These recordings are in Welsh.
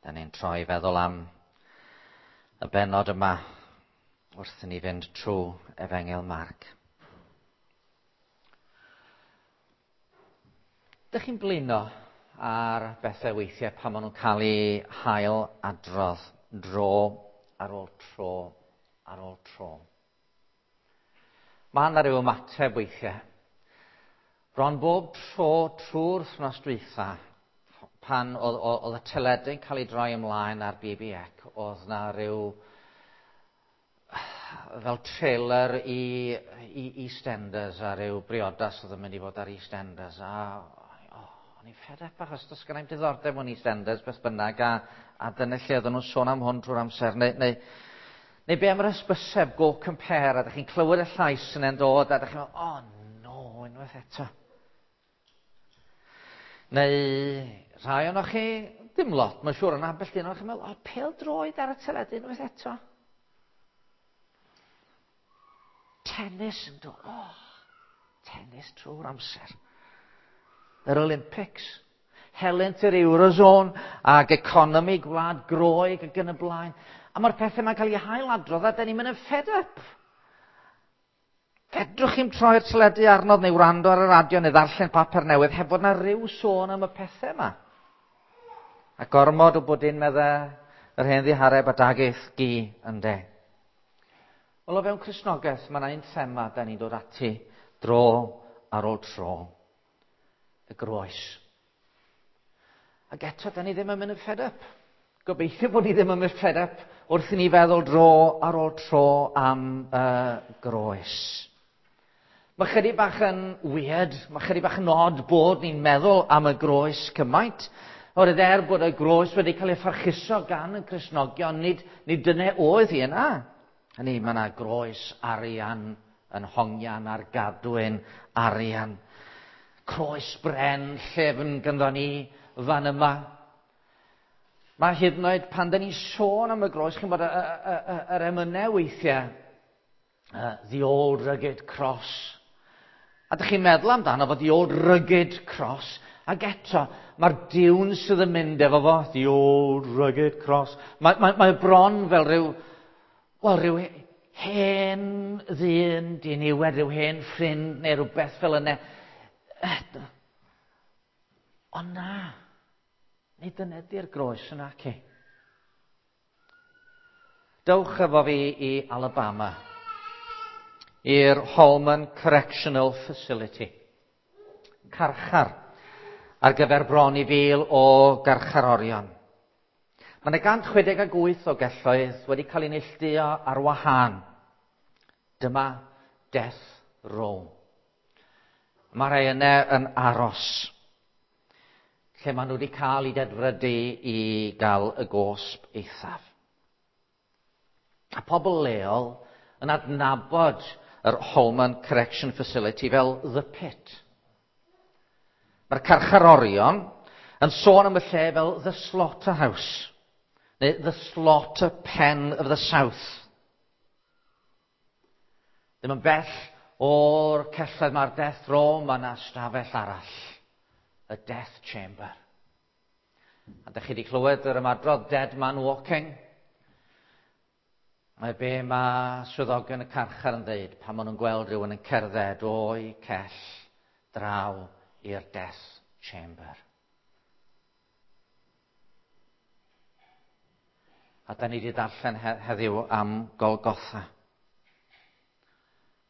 Da ni'n troi feddwl am y bennod yma wrth i ni fynd trwy Efengyl Marc. Dych chi'n blino ar bethau weithiau pan maen nhw'n cael eu hail adrodd dro ar ôl tro ar ôl tro? Mae yna ryw ymateb weithiau. Bron bob tro trwy'r wythnos dwytha, pan oedd, oedd y teledu'n cael ei droi ymlaen ar BBC, oedd na ryw fel trailer i EastEnders a ryw briodas oedd yn mynd i fod ar EastEnders a oh, o'n i'n fed up achos does gennai'm diddordeb mewn EastEnders beth bynnag a dyna lle oedden nhw'n sôn am hwn trwy'r amser neu be am yr hysbyseb Go Compare a ydych chi'n clywed y llais yna'n dod a ydych chi'n meddwl, oh no, unwaith eto. Neu rhai ohonoch chi, dim lot, mae'n siŵr, ond ambell un ohonoch chi'n meddwl, oh, pêl droed ar y teledu unwaith eto. Tennis yn dod, oh, tennis trwy'r amser. Yr Olympics, helynt yr Eurozone ag economi gwlad Groeg ac yn y blaen. A mae'r pethau yma'n cael eu hailadrodd a da ni'n mynd yn fed up. Fedrwch chi'm troi'r teledu arnodd neu wrando ar y radio neu ddarllen papur newydd heb fod na ryw sôn am y pethau yma. A gormod o bwdin medde yr hen ddihareb a daguth gi ynde. Wel, o fewn Cristnogaeth, mae yna un thema da ni'n dod ati dro ar ôl tro. Y groes. Ac eto, da ni ddim yn mynd yn fed up. Gobeithio bod ni ddim yn mynd fed up wrth i ni feddwl dro ar ôl tro am y groes. Mae chydig bach yn weird, mae chydig bach yn odd bod ni'n meddwl am y groes cymaint. Oherwydd er bod y groes wedi cael ei pharchuso gan y Cristnogion, nid dyna oedd hi yna. Hynny, mae yna groes arian yn hongian ar gadwyn arian. Croes bren llefn gynddo ni fan yma. Mae hyd yn oed pan da ni'n sôn am y groes, chi'n bod yr emynau weithiau, The Old Rugged Cross. A dych chi'n meddwl amdano fo, The Old Rugged Cross, ac eto, mae'r diwn sydd yn mynd efo fo, The Old Rugged Cross. Mae bron fel rhyw, wel, rhyw hen ddyn diniwed, rhyw hen ffrind neu rhywbeth fel yna. Ond na, nid dyna ydy'r groes yna, ci. Dewch efo fi i Alabama, i'r Holman Correctional Facility. Carchar ar gyfer bron i 1,000 o garcharorion. Mae yna 168 o gelloedd wedi cael eu neilltuo ar wahân. Dyma Death Row. Mae rhai yna yn aros, lle maen nhw wedi cael eu dedfrydu i gael y gosb eithaf. A pobl leol yn adnabod yr Holman Correction Facility fel The Pit. Mae'r carcharorion yn sôn am y lle fel The Slaughterhouse, neu The Slaughter Pen of the South. Ddim yn bell o'r celloedd mae'r Death Row, mae yna stafell arall, y Death Chamber. A dych chi wedi clywed yr ymadrodd Dead Man Walking? Mae be mae swyddogion y carchar yn dweud pan maen nhw'n gweld rhywun yn cerdded o'i cell draw i'r Death Chamber. A da ni wedi darllen heddiw am Golgotha.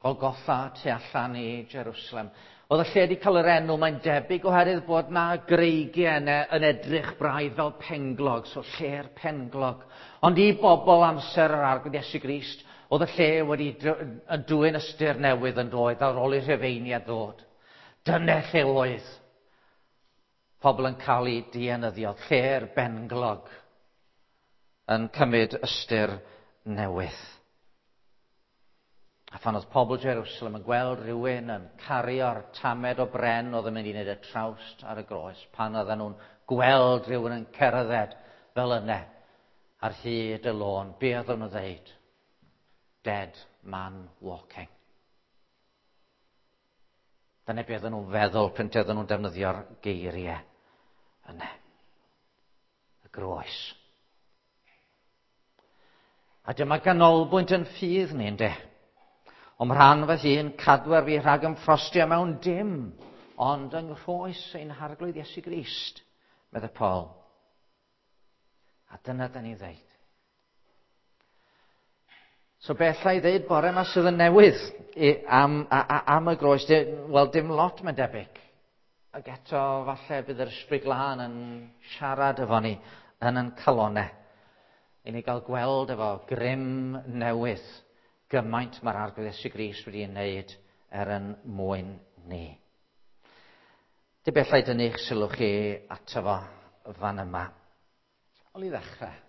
Golgotha tu allan i Jerusalem. Oedd y lle wedi cael yr enw, mae'n debyg oherwydd bod na greigiau yna yn edrych braidd fel penglog, so lle'r penglog. Ond i bobl amser yr Arglwydd Iesu Grist, oedd y lle wedi yn dwyn ystyr newydd yn dod ar ôl i'r Rhufeiniaid ddod. Dyna lle oedd pobl yn cael eu dienyddio, lle'r benglog yn cymryd ystyr newydd. A phan oedd pobl Jerusalem yn gweld rhywun yn cario'r tamed o bren oedd yn mynd i wneud y trawst ar y groes, pan oedden nhw'n gweld rhywun yn cerdded fel yna ar hyd y lôn, be oedden nhw'n dweud? Dead man walking. Dyna be oedden nhw'n feddwl pryd oedden nhw'n defnyddio'r geiriau yna. Y groes. A dyma ganolbwynt yn ffydd ni, ynddo. O'm rhan fy hun, cadwer fi rhag ymffrostio mewn dim, ond yng nghroes ein Harglwydd Iesu Grist, meddai Paul. A dyna da ni'n ddeud. So beth alla i ddeud bore yma sydd yn newydd am y groes? Wel, dim lot mae'n debyg. Ac eto, falle bydd yr Ysbryd Glân yn siarad efo ni yn ein calonau. I ni gael gweld efo grym newydd gymaint mae'r Arglwydd Iesu Grist wedi ei wneud er yn mwyn ni. Dim bellai dynnu eich sylw chi ato fo fan yma. Wel, i ddechrau,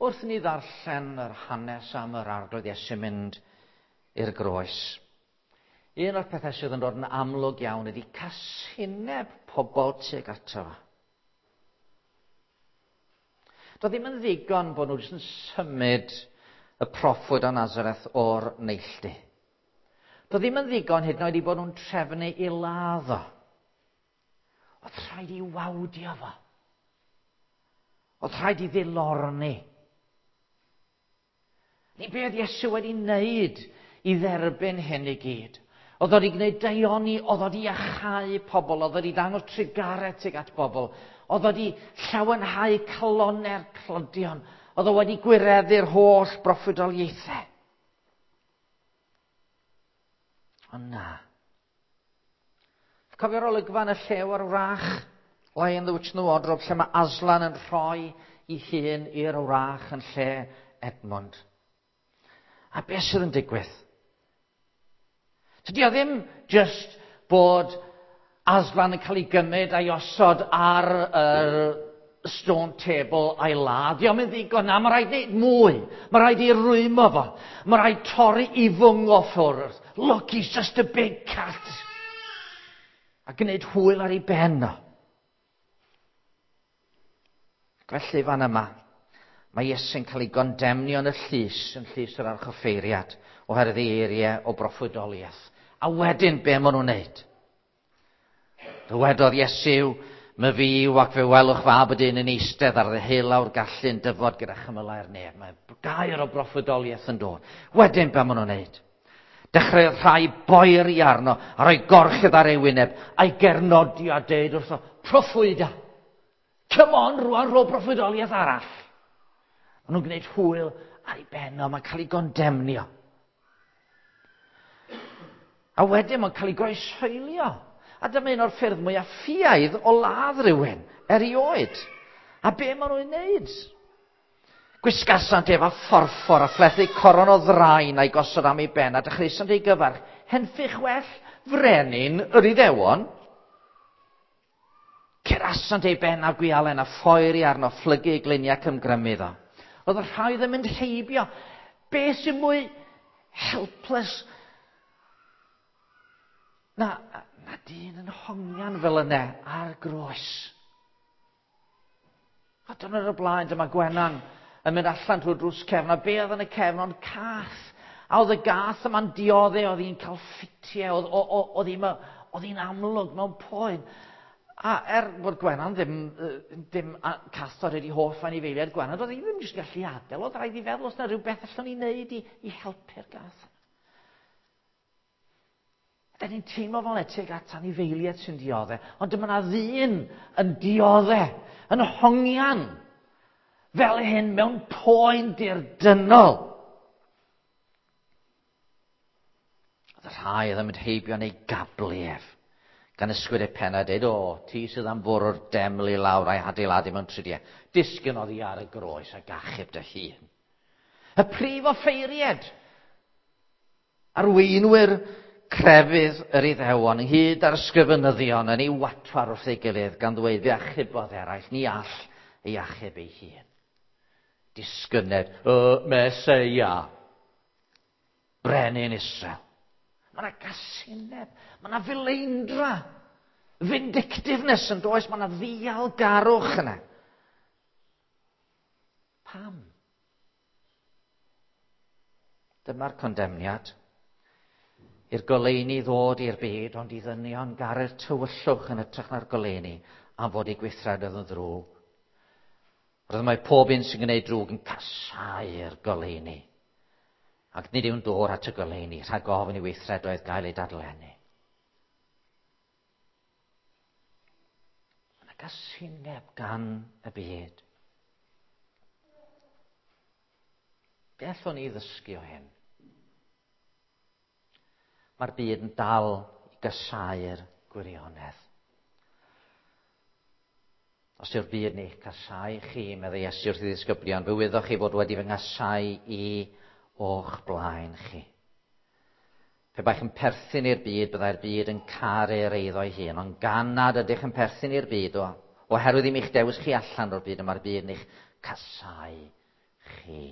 wrth i ni ddarllen yr hanes am yr Arglwydd Iesu mynd i'r groes, un o'r pethau sydd yn dod yn amlwg iawn ydy casineb pobl tuag ato fo. Doedd ddim yn ddigon bod nhw jyst yn symud y proffwyd o Nazareth o'r neilltu. Doedd ddim yn ddigon hyd yn oed i bod nhw'n trefnu i ladd o. Oedd rhaid i wawdio fo. Oedd rhaid i ddilorni. Ni be oedd Iesu wedi wneud i dderbyn hyn i gyd. Oedd o wedi gwneud daioni, oedd o wedi iachau pobl, oedd o wedi dangos trugaredd tuag at bobl, oedd o wedi llawenhau calonnau'r tlodion, oedd o wedi gwireddu'r holl broffwydoliaethau. Ond na. Cofio'r olygfa yn y Llew a'r Wrach? Lion, the Witch and the Wardrobe, lle mae Aslan yn rhoi i hun i'r wrach yn lle Edmund. A beth sydd yn digwydd? Tydi o ddim just bod Aslan yn cael ei gymryd a'i osod ar yr stone table a'i ladd. Dio'm yn ddigon na, mae rhaid wneud mwy. Mae rhaid i rwymo fo. Mae rhaid torri i fwng o ffwrdd. Look, he's just a big cat. A gwneud hwyl ar ei ben o. Felly fan yma, mae Iesu'n cael ei gondemnio yn y llys, yn llys yr archoffeiriad, oherwydd ei eiriau o broffwydoliaeth. A wedyn, be maen nhw'n wneud? Dywedodd Iesu, my fi yw ac fe welwch fab y dyn yn eistedd ar ddeheulaw'r gallu'n dyfod gyda chymylau'r nef. Mae gair o broffwydoliaeth yn dod. Wedyn, be maen nhw'n wneud? Dechreuodd rhai boeri arno a rhoi gorchudd ar ei wyneb a'i gernodi a deud wrtho, proffwyda! Come on, rwan, rho broffwydoliaeth arall. Maen nhw'n gwneud hwyl ar ei ben o, mae'n cael ei gondemnio. A wedyn mae'n cael ei groeshoelio. A dyma un o'r ffyrdd mwyaf ffiaidd o ladd rhywun erioed. A be maen nhw'n wneud? Gwisgasant ef â phorffor a phlethu coron o ddrain a'i gosod am ei ben a dechreusant ei gyfarch. Henffych well frenin yr Iddewon. Curasant ei ben â gwialen a phoeri arno, phlygu ei gliniau ac ymgrymu iddo. Oedd y rhai ddim yn heibio. Be sy'n mwy helpless na dyn yn hongian fel yna ar groes. A dyna'r y blaen, dyma Gwenan yn mynd allan trwy'r drws cefn, a be oedd yn y cefn ond cath. A oedd y gath yma'n diodde, oedd hi'n cael ffitiau, oedd hi'n amlwg mewn poen. A er bod Gwenan ddim cathod wedi hoff anifeiliaid Gwenan, oedd hi ddim jyst gallu adael, oedd rhaid i feddwl os yna rhywbeth allwn ni wneud i helpu'r gath. Da ni'n teimlo fel tuag at anifeiliaid sy'n diodde, ond dyma na ddyn yn diodde, yn hongian, fel hyn mewn poen dirdynnol. Oedd y rhai oedd yn mynd heibio neu gablu ef, gan ysgwyd ei pen a dweud, o, ti sydd am fwrw'r deml i lawr a'i hadeiladu mewn tridiau. Disgyn oddi ar y groes ac achub dy hun. Y prif offeiried, arweinwyr crefydd yr Iddewon, ynghyd â'r ysgrifenyddion yn ei watwar wrth ei gilydd, gan ddweud fe achubodd eraill, ni all ei achub ei hun. Disgyned y Meseia, brenin Israel. Mae yna gasineb, mae yna fileindra, vindictiveness yn does, mae yna ddialgarwch yna. Pam? Dyma'r condemniad. I'r goleuni ddod i'r byd, ond i ddynion garu'r tywyllwch yn hytrach na'r goleuni am fod eu gweithredoedd yn ddrwg. Roedd mae pob un sy'n gwneud drwg yn casáu'r goleuni. Ac nid yw'n dod at y goleuni rhag ofn i weithredoedd gael ei dadlennu. Mae yna gasineb gan y byd. Be allwn ni ddysgu o hyn? Mae'r byd yn dal i gasáu'r gwirionedd. Os yw'r byd yn eich casáu chi, meddai Iesu wrth ei ddisgyblion, fe wyddoch chi fod wedi fy nghasau i o'ch blaen chi. Pe baech yn perthyn i'r byd, byddai'r byd yn caru'r eiddo ei hun, ond gan nad ydych yn perthyn i'r byd, o, oherwydd i mi'ch dewis chi allan o'r byd, y mae'r byd yn eich casau chi.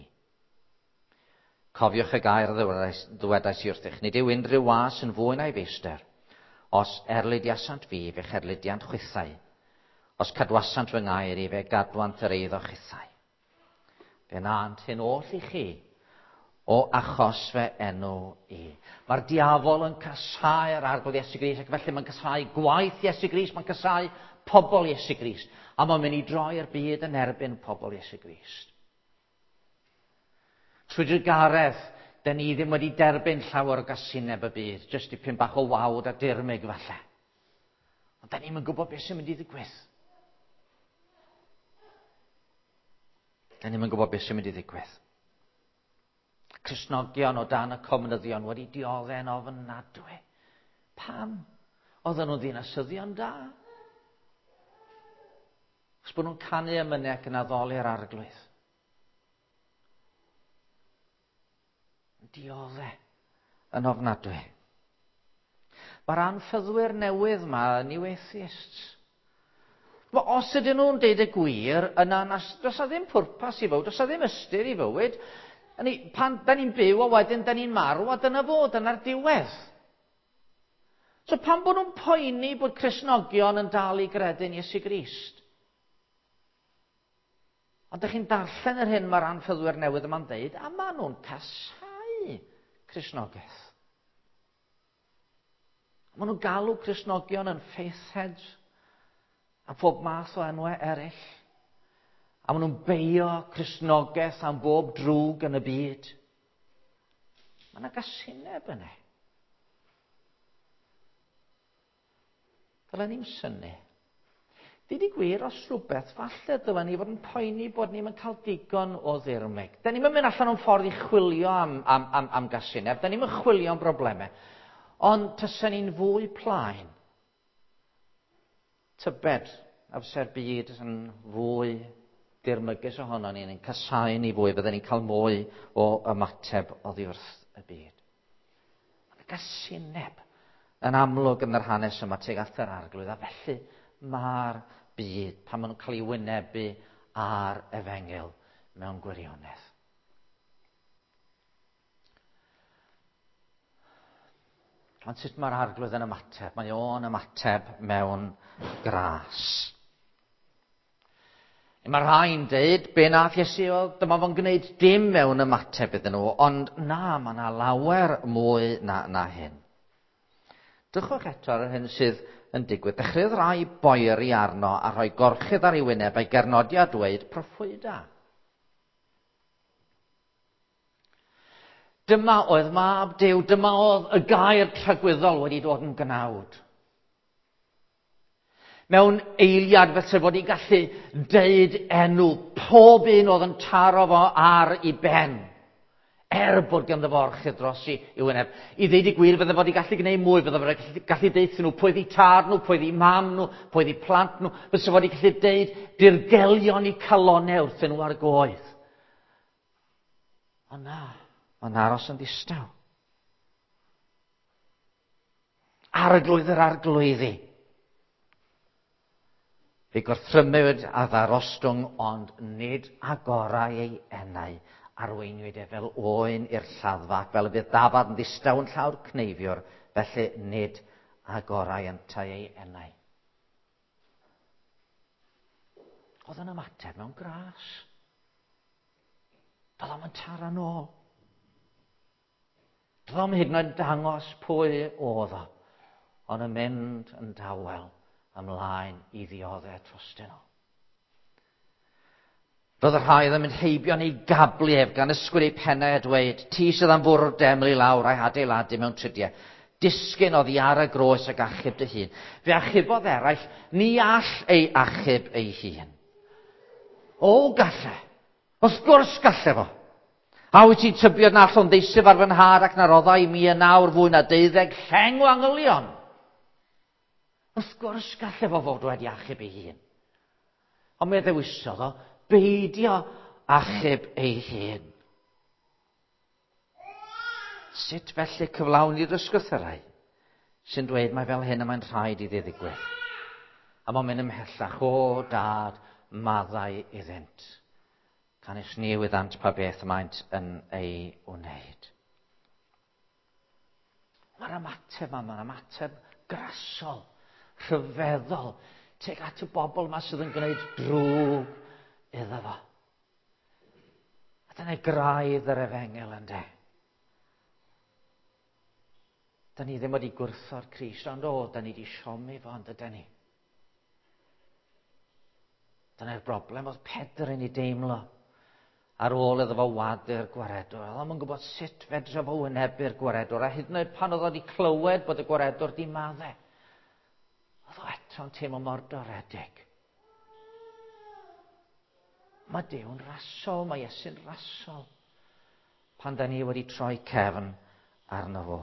Cofiwch y gair a ddywedais i wrthych, nid yw unrhyw was yn fwy na'i feistr. Os erlidiasant fi, fe'ch erlidiant chwithau. Os cadwasant fy ngair i, fe gadwant yr eiddo chithau. Fe nant hyn oll i chi, o achos fe enw i. Mae'r diafol yn casáu'r arglwydd Iesu Grist, ac felly mae'n casáu gwaith Iesu Grist, mae'n casáu pobl Iesu Grist, a mae'n mynd i droi'r byd yn erbyn pobl Iesu Grist. Trwy drugaredd, da ni ddim wedi derbyn llawer o gasineb y byd, jyst dipyn bach o wawd a dirmyg falle. Ond da ni'n gwybod beth sy'n mynd i ddigwydd. Da ni'n gwybod beth sy'n mynd i ddigwydd. Cristnogion o dan y comunyddion wedi dioddef'n ofnadwy. Pam? Oedden nhw'n ddinasyddion da. Os bod nhw'n canu emynau ac yn addoli'r arglwydd. Diodde yn ofnadwy. Mae'r anffyddwyr newydd yma yn new atheists. Os ydyn nhw'n deud y gwir, yna does na ddim pwrpas i fywyd, does na ddim ystyr i fywyd. Ni, pan da ni'n byw a wedyn da ni'n marw a dyna fo, dyna'r diwedd. So pan bod nhw'n poeni bod Cristnogion yn dal i gredu'n Iesu Grist? Ond ydych chi'n darllen yr hyn mae'r anffyddwyr newydd yma'n dweud, a maen nhw'n casáu Cristnogaeth. Maen nhw'n galw Cristnogion yn faithheads a phob math o enwau eraill. A maen nhw'n beio Cristnogaeth am bob drwg yn y byd. Mae yna gasineb yna. Dylen ni'n synnu. Dyd i gwir, os rhywbeth, falle dylen ni fod yn poeni bod ni'n cael digon o ddirmyg. Da ni'n mynd allan o'n ffordd i chwilio am, am, am, am gasineb, da ni'n chwilio am broblemau. Ond tysen ni'n fwy plaen. Tybed, amser byd yn fwy dirmygus ohono ni'n yn casau ni fwy, fydden ni'n cael mwy o ymateb oddi wrth y byd. Mae'n gasineb yn amlwg yn yr hanes yma tuag at yr arglwydd, a felly mae'r byd pan maen nhw'n cael ei wynebu ar efengyl mewn gwirionedd. Ond sut mae'r arglwydd yn ymateb? Mae o'n ymateb mewn gras. Mae rhai'n deud, be nath Iesu oedd, dyma fo'n gwneud dim mewn ymateb iddyn nhw, ond na, mae yna lawer mwy na, na hyn. Drychwch eto ar yr hyn sydd yn digwydd. Dechreuodd rai boeri arno a rhoi gorchudd ar ei wyneb a'i gernodi a dweud proffwyda. Dyma oedd mab Duw, dyma oedd y gair tragwyddol wedi dod yn gnawd. Mewn eiliad felly fod i gallu deud enw pob un oedd yn taro fo ar ei ben. Er bod ganddo fo orchudd dros i, i wyneb. I ddeud y gwir, fydde fod i gallu gwneud mwy, fydde fod i gallu deutha nhw pwy oedd tad nhw, pwy oedd mam nhw, pwy oedd plant nhw. Fysa fod i gallu deud dirgelion i calonau wrthyn nhw ar goedd. Ond na, mae'n aros yn ddistaw. Arglwydd yr arglwyddi. Fe gorthrymwyd a ddarostwng, ond nid agorau ei enau. Arweiniwyd e fel oen i'r lladdfa, ac fel y bydd dafad yn ddistaw yn llawr cneifiwr, felly nid agorau yntau ei enau. Oedd yn ymateb mewn gras. Doedd o'm yn taro nôl. Doedd o'm hyd yn oed dangos pwy oedd o, ond yn mynd yn dawel ymlaen i ddioddef trostyn nhw. Roedd y rhai oedd yn mynd heibio yn ei gablu ef gan ysgwyd eu pennau a dweud, ti sydd am fwrw'r deml i lawr a'i hadeiladu mewn tridiau. Disgyn oddi ar y groes ac achub dy hun. Fe achubodd eraill, ni all ei achub ei hun. O, galle. Wrth gwrs galle fo. A wyt ti'n tybio na allwn ddeisyf ar fy nhad ac na roddai i mi yn awr fwy na 12 lleng o angylion? Wrth gwrs galle fo fod wedi achub ei hun. Ond mi ddewisodd o beidio achub ei hun. Sut felly cyflawni'r ysgrythyrau sy'n dweud mai fel hyn y mae'n rhaid iddi ddigwydd? A mae'n mynd ymhellach, o dad, maddau iddynt. Canys ni wyddant pa beth maent yn ei wneud. Mae'r ymateb yma, mae'n ymateb grasol, rhyfeddol, tuag at y bobl yma sydd yn gwneud drwg iddo fo. A dyna graidd yr efengyl ynde. Da ni ddim wedi gwrtho'r Crist, ond o, da ni wedi siomi fo, ond ydy ni. Dyna'r broblem oedd Pedr yn ei deimlo ar ôl iddo fo wadu'r gwaredwr. Oedd o'm yn gwybod sut fedra fo wynebu'r gwaredwr, a hyd yn oed pan oedd o wedi clywed bod y gwaredwr di madde, oedd o eto'n teimlo mor doredig. Mae Duw'n rasol, mae Iesu'n rasol, pan da ni wedi troi cefn arno fo.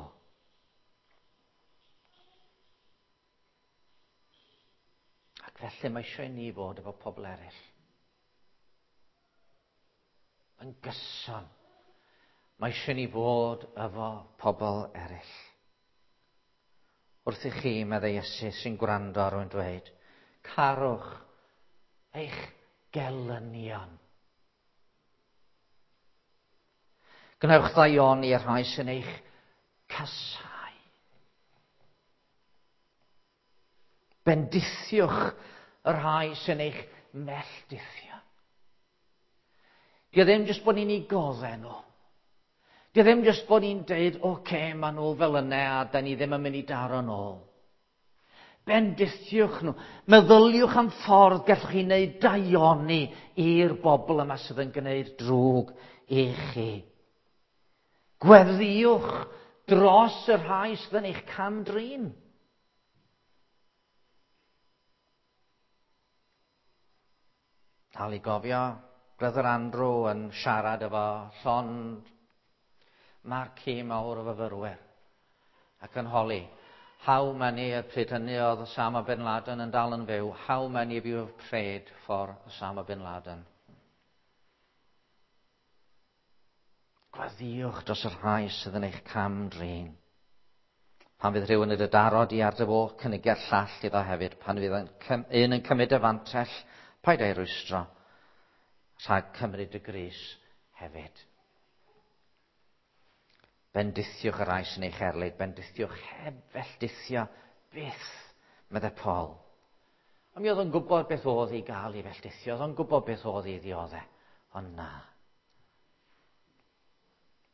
Ac felly mae eisiau i ni fod efo pobl eraill. Yn gyson. Mae eisiau ni fod efo pobl eraill. Wrth i chi, meddai Iesu, sy'n gwrando ar rwy'n dweud, carwch eich gelynion. Gwnewch ddaioni i'r rhai sy'n eich casau. Bendithiwch y rhai sy'n eich melldithio. Dio ddim jyst bod ni'n ei goddau nhw. Dio ddim jyst bod ni'n deud, oce, okay, maen nhw fel yna a da ni ddim yn mynd i daro nôl. Bendithiwch nhw. Meddyliwch am ffordd gallwch chi wneud daioni i'r bobl yma sydd yn gwneud drwg i chi. Gweddïwch dros y rhai sydd yn eich cam-drin. Dal i gofio Brother Andrew yn siarad efo llond marquee mawr o fyfyrwyr ac yn holi, how many, y pryd hynny oedd Osama Bin Laden yn dal yn fyw, how many of you have prayed for Osama Bin Laden? Gweddïwch dros y rhai sydd yn eich cam-drin. Pan fydd rhywun yn dy daro di ar dy foch, cynigia'r llall iddo hefyd. Pan fydd un yn cymryd y fantell, paid â'i rwystro rhag cymryd y grys hefyd. Bendithiwch y rhai sy'n eich erlid, bendithiwch heb felldithio byth, meddai Paul. Ond mi oedd o'n gwybod beth oedd i gael ei felldithio, oedd o'n gwybod beth oedd i ddioddau, ond na.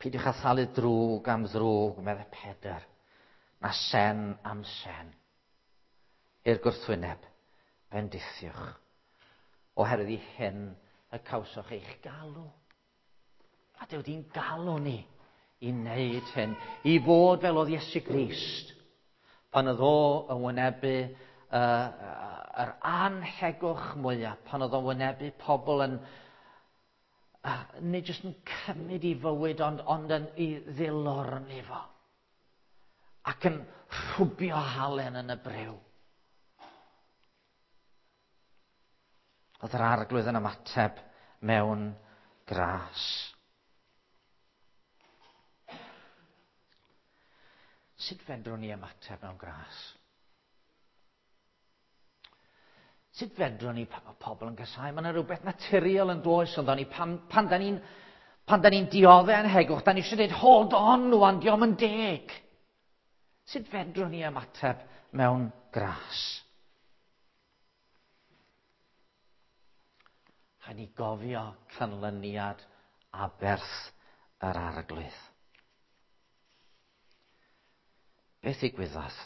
Peidiwch â thalu drwg am ddrwg, meddai Pedr, na sen am sen. I'r gwrthwyneb, bendithiwch, oherwydd i hyn y cawsoch eich galw. A Duw di'n galw ni i wneud hyn, i fod fel oedd Iesu Grist, pan oedd o yn wynebu yr anhegwch mwyaf, pan oedd o'n wynebu pobl yn, nid jyst yn cymryd i fywyd, ond, ond yn i ddilorni fo. Ac yn rhwbio halen yn y briw. Oedd yr arglwydd yn ymateb mewn gras. Sut fedrwn ni ymateb mewn gras? Sut fedrwn ni pan mae pobl yn casau? Mae yna rhywbeth naturiol yn does ond ni pan, pan da ni'n pan da ni'n dioddau anhegwch, da ni eisiau dweud, hold on, wan, diom yn deg. Sut fedrwn ni ymateb mewn gras? Rhaid ni gofio canlyniad aberth yr arglwydd. Beth ddigwyddodd?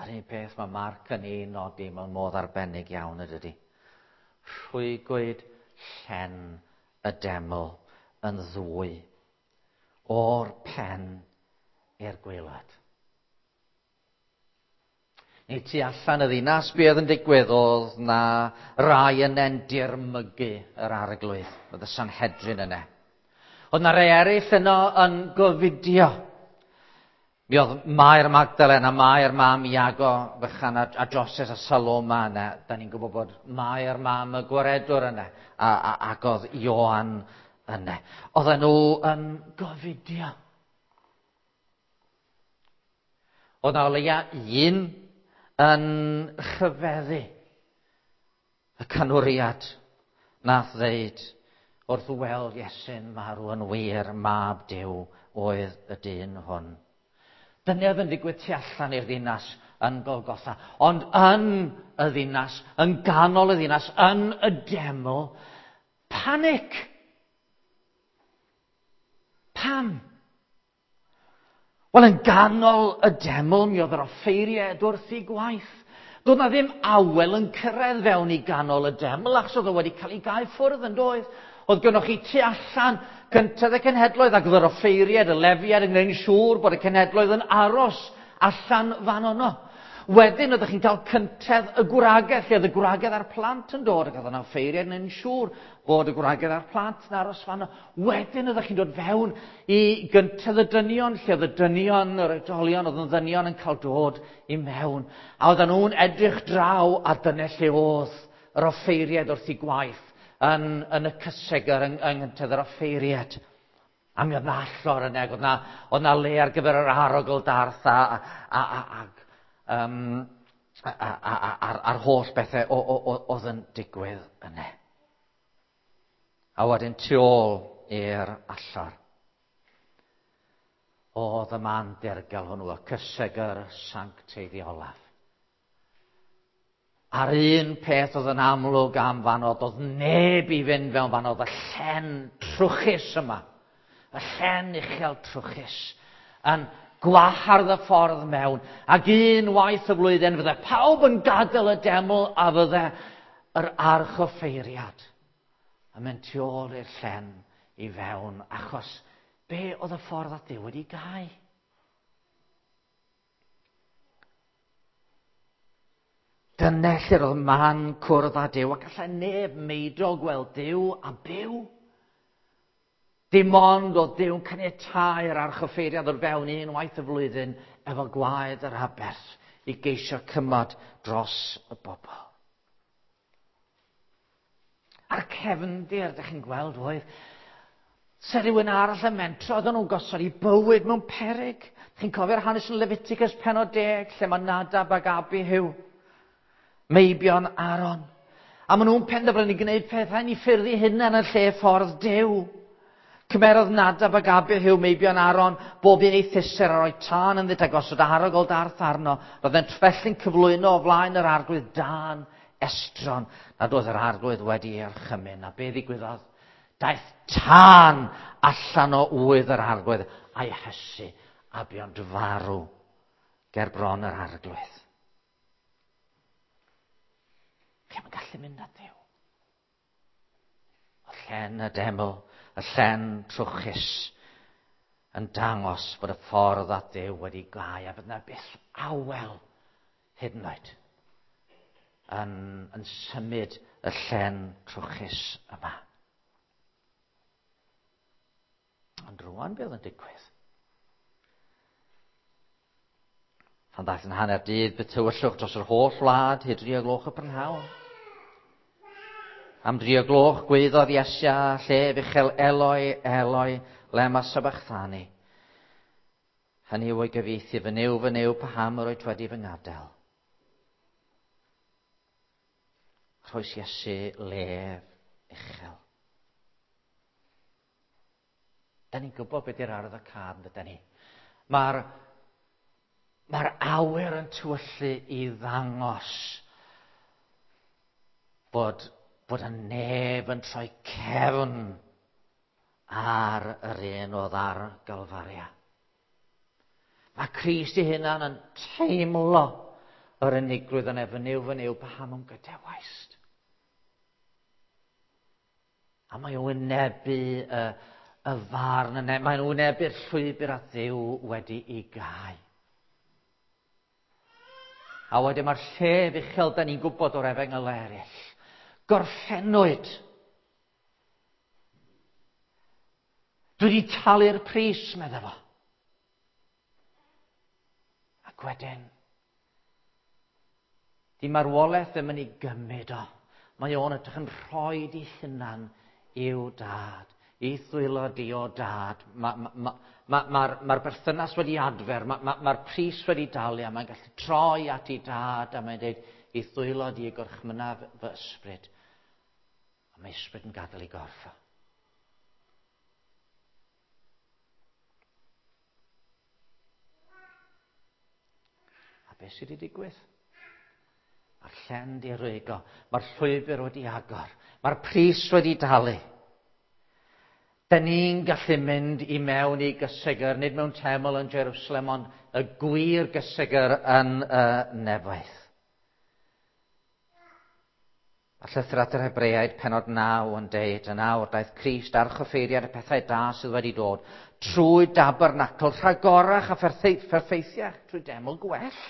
Yr un peth mae Mark yn ei nodi mewn modd arbennig iawn ydydi. Rhwygwyd llen y deml yn ddwy, o'r pen i'r gwaelod. Neu tu allan y ddinas, be oedd yn digwydd oedd na rai yne'n dirmygu yr arglwydd. Oedd y Sanhedrin yne. Oedd na rai eraill yno yn gofidio. Mi oedd Mair Magdalen a Mair mam Iago fychan a Joses a Saloma yna. Da ni'n gwybod bod Mair mam y gwaredwr yna ac oedd Ioan yna. Oedden nhw yn gofidio. Oedd na o leia un yn rhyfeddu y canwriad nath ddeud wrth weld Iesu'n marw yn wir, mab Duw oedd y dyn hwn. Dyna oedd yn digwydd tu allan i'r ddinas yn Golgotha. Ond yn y ddinas, yn ganol y ddinas, yn y deml, panic! Pam? Wel, yn ganol y deml, mi oedd yr offeiriaid wrth eu gwaith. Doedd na ddim awel yn cyrraedd fewn i ganol y deml, achos oedd o wedi cael ei gau ffwrdd yn doedd. Oedd gynnoch chi tu allan gyntaf y cenhedloedd, ac oedd yr offeiriaid, y lefiaid yn gwneud yn siŵr bod y cenhedloedd yn aros allan fan yno. Wedyn oeddech chi'n cael cyntedd y gwragedd, lle oedd y gwragedd a'r plant yn dod, ac oedd yna offeiriaid yn gwneud yn siŵr bod y gwragedd a'r plant yn aros fan yno. Wedyn oeddech chi'n dod fewn i gyntedd y dynion, lle oedd y dynion, yr oedolion, oedd yn ddynion yn cael dod i mewn. A oedden nhw'n edrych draw, a dyna lle oedd yr offeiriaid wrth eu gwaith yn y cysegr yng nghyntedd yr offeiriaid. A mi oedd na allor yna, ac oedd na le ar gyfer yr arogl darth a'r holl bethau oedd yn digwydd yna. A wedyn tu ôl i'r allor, oedd y man dirgel hwnnw, y cysegr sancteiddiolaf. A'r un peth oedd yn amlwg am fan oedd, oedd neb i fynd fewn fan oedd y llen trwchus yma, y llen uchel trwchus, yn gwahardd y ffordd mewn, ac unwaith y flwyddyn fydde pawb yn gadael y deml a fydde yr archoffeiriad yn mynd tu ôl i'r llen i fewn, achos be oedd y ffordd at Dduw wedi gau? Dyna lle roedd man cwrdd â Duw, ac allai neb meidio gweld Duw a byw. Dim ond oedd Duw'n caniatáu'r archoffeiriad o'r fewn unwaith y flwyddyn efo gwaed yr aberth i geisio cymod dros y bobl. A'r cefndir, ydych chi'n gweld, oedd se rhywun arall yn mentro, oedden nhw'n gosod i bywyd mewn peryg. Chi'n cofio'r hanes yn Leviticus pennod 10, lle mae Nadab ac Abihu, meibion Aaron. A maen nhw'n penderfynu gwneud pethau yn eu ffyrdd eu hunain yn lle ffordd Duw. Cymerodd Nadab ac Abihu, meibion Aaron, bob un ei thuser a roi tân ynddynt a gosod arogl darth arno. Roeddent felly'n cyflwyno o flaen yr arglwydd dân estron nad oedd yr arglwydd wedi ei orchymyn. A be ddigwyddodd? Daeth tân allan o ŵydd yr arglwydd a'i hysu a buont farw ger bron yr arglwydd. Chi'm yn gallu mynd at Dduw. Y llen y deml, y llen trwchus, yn dangos bod y ffordd at Dduw wedi gau a bydd na byth awel hyd yn oed yn symud y llen trwchus yma. Ond rwan beth oedd yn digwydd? Pan ddaeth yn hanner dydd, bu tywyllwch dros yr holl wlad hyd 3 o gloch y prynhawn. Am 3 o gloch gwaeddodd Iesu â llef uchel, Eloi, Eloi, lema sabachthani. Hynny yw o'i gyfieithu, fy Nuw, fy Nuw, paham yr wyt wedi fy ngadael? Rhoes Iesu lef uchel. Da ni'n gwybod beth yw'r arwydd o cad, yn dydyn ni? Mae'r awyr yn tywyllu i ddangos bod y neb yn troi cefn ar yr un oedd ar Galfaria. Mae Crist ei hunan yn teimlo yr unigrwydd yn efo Nuw, fy Nuw, paham a'm gadawaist? A mae o'n wynebu y, y farn yna, mae'n wynebu'r llwybr at Dduw wedi ei gau. A wedyn mae'r llef uchel, da ni'n gwybod o'r efengyl eraill. Gorffennwyd. Dwi wedi talu'r pris, medde fo. Ac wedyn, di marwolaeth ddim yn ei gymryd o. Mae o'n edrych yn rhoi di hunan i'w dad. I ddwylo di o dad. Mae'r ma, ma, ma, ma, ma berthynas wedi adfer, mae'r ma, ma, ma pris wedi dalu, a mae'n gallu troi at ei dad, a mae'n dweud, i ddwylo di y gorchmyna fy ysbryd. A mae ysbryd yn gadael ei gorff o. A beth sydd wedi digwydd? Mae'r llen di rwygo, mae'r llwybr wedi agor, mae'r pris wedi dalu. Da ni'n gallu mynd i mewn i gysegr, nid mewn teml yn Jerusalem, ond y gwir gysegr yn y nefoedd. A llythyr at yr Hebreaid, penod 9 yn deud, yn awr daeth Crist archoffeiriad y pethau da sydd wedi dod, trwy dabernacl rhagorach a pherffeithiach, trwy deml gwell.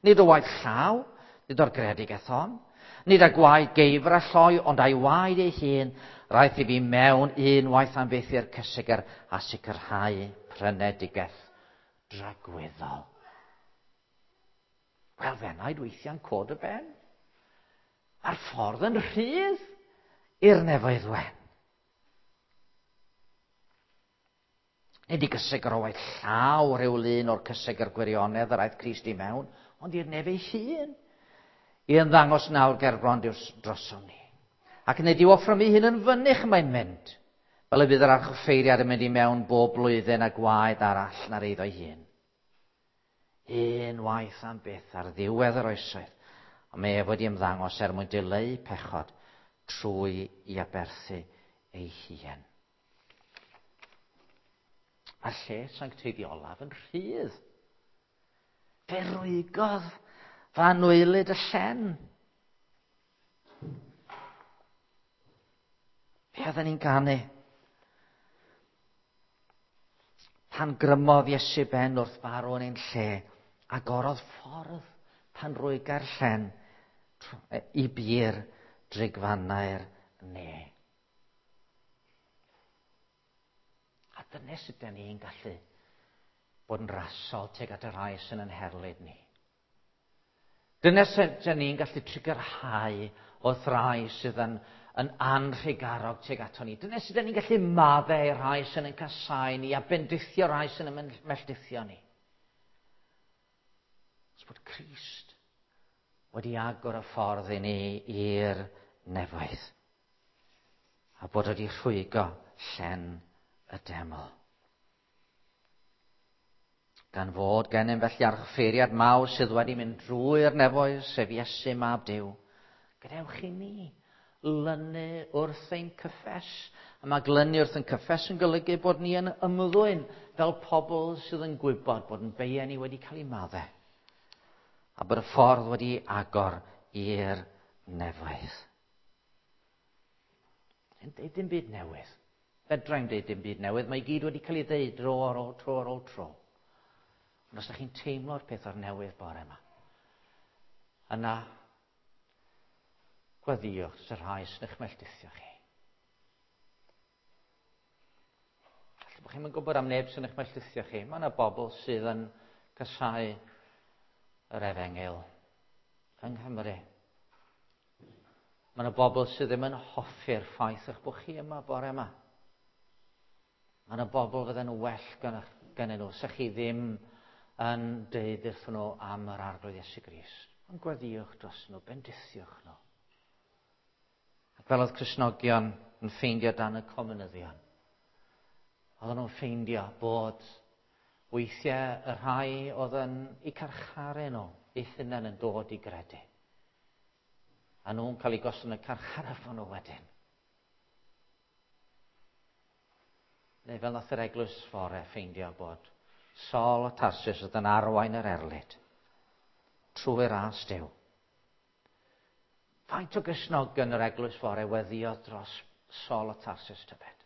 Nid o waith llaw, nid o'r greadigaeth hon, nid â gwaed geifr a lloi, ond a'i waed ei hun, Rhaid i fi mewn unwaith am byth i'r cysegr a sicrhau prynedigaeth dragwyddol. Wel, fenaid weithiau'n cod y ben. Mae'r ffordd yn rhydd i'r nefoedd wen. Nid i gysegr o waith llaw rhyw lun o'r cysegr gwirionedd yr aeth Crist i mewn, ond i'r nef ei hun. I ymddangos nawr gerbron drosom ni. Ac nid yw offrymu hyn yn fynych mae'n mynd, fel y bydd yr archoffeiriad yn mynd i mewn bob blwyddyn a gwaed arall na'r eiddo ei hun. Un waith am byth ar ddiwedd yr oesoedd, ond mae ef wedi ymddangos er mwyn dileu pechod trwy i aberthu ei hun. Mae'r lle sancteiddiolaf yn rhydd. Fe rwygodd fy anwylyd y llen. Be oedden ni'n ganu? Pan grymodd Iesu ben wrth farw yn ein lle, agorodd ffordd pan rwyga'r llen i bur drigfannau'r ne. A dyna sut da ni'n gallu bod yn rasol tuag at y rhai sy'n yn herlid ni. Dyna sut da ni'n gallu trugarhau wrth rai sydd yn, yn anrhugarog tuag ato ni. Dyna sut da ni'n gallu maddau i'r rhai sy'n yn casau ni a bendithio rhai sy'n yn melltithio ni. Os bod Crist wedi agor y ffordd i ni i'r nefoedd a bod wedi rhwygo llen y deml. Gan fod gennym felly archoffeiriad mawr sydd wedi mynd drwy'r nefoedd, sef Iesu mab Duw, gadewch i ni lynu wrth ein cyffes. A mae glynu wrth ein cyffes yn golygu bod ni yn ymddwyn fel pobl sydd yn gwybod bod yn beiau ni wedi cael ei maddau. A bod y ffordd wedi agor i'r nefoedd. Yn deud dim byd newydd. Fedra i'm deud dim byd newydd. Mae i gyd wedi cael ei ddeud dro ar ôl tro ar ôl tro. Ond os ydych chi'n teimlo'r peth o'r newydd bore yma, yna gweddïwch dros y rhai sy'n eich melltithio chi. Falle bod chi'n gwybod am neb sy'n eich melltithio chi. Mae yna bobl sydd yn casáu yr efengyl yng Nghymru. Mae yna bobl sydd ddim yn hoffi'r ffaith eich bod chi yma bore yma. Mae yna bobl fydden nhw well gennyn nhw, sa chi ddim yn deud wrthyn nhw am yr Arglwydd Iesu Grist. Ond gweddïwch dros nhw, bendithiwch nhw. Ac fel oedd Cristnogion yn ffeindio dan y comunyddion, oedden nhw'n ffeindio bod weithiau y rhai oedd yn eu carcharu nhw, eu hunain yn dod i gredu. A nhw'n cael eu gosod yn y carchar efo nhw wedyn. Neu fel nath yr eglwys fore ffeindio bod Saul o Tarsus oedd yn arwain yr erlid trwy ras Duw. Faint o Gristnogion yr eglwys fore weddïodd dros Saul o Tarsus tybed?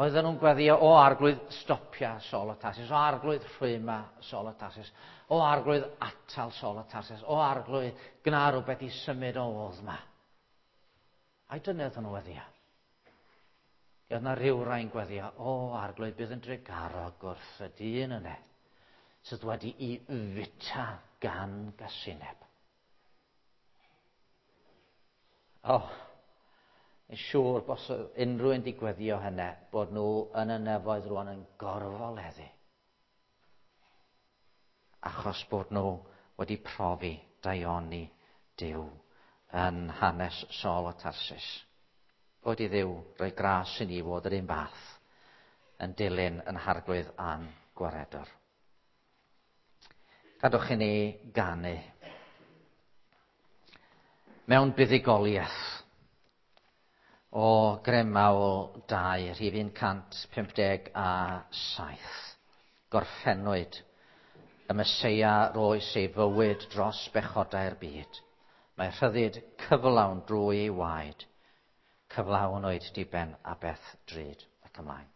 Oedden nhw'n gweddio, o arglwydd, stopia Saul o Tarsus, o arglwydd, rhwyma Saul o Tarsus, o arglwydd, atal Saul o Tarsus, o arglwydd, gwna rhywbeth i symud o odd ma. Ai dyna oedden nhw'n weddio? Oedd yna rhyw rai'n gweddio, o arglwydd, bydd yn drugarog wrth y dyn yna, sydd wedi i fita gan gasineb. O, yn siŵr bos unrhyw un di gweddio hynny, bod nhw yn y nefoedd rwan yn gorfoleddu. Achos bod nhw wedi profi daioni Duw yn hanes Saul o Tarsus. Bod i Dduw roi gras i ni fod yr un fath yn dilyn yn harglwydd a'n gwaredwr. Gadwch i ni ganu mewn buddugoliaeth o Gremawl 2, rhif 157. Gorffennwyd y Meseia roes ei fywyd dros bechodau'r byd. Mae rhyddid cyflawn drwy ei waed. Cyflawn oed diben a beth drud ac ymlaen.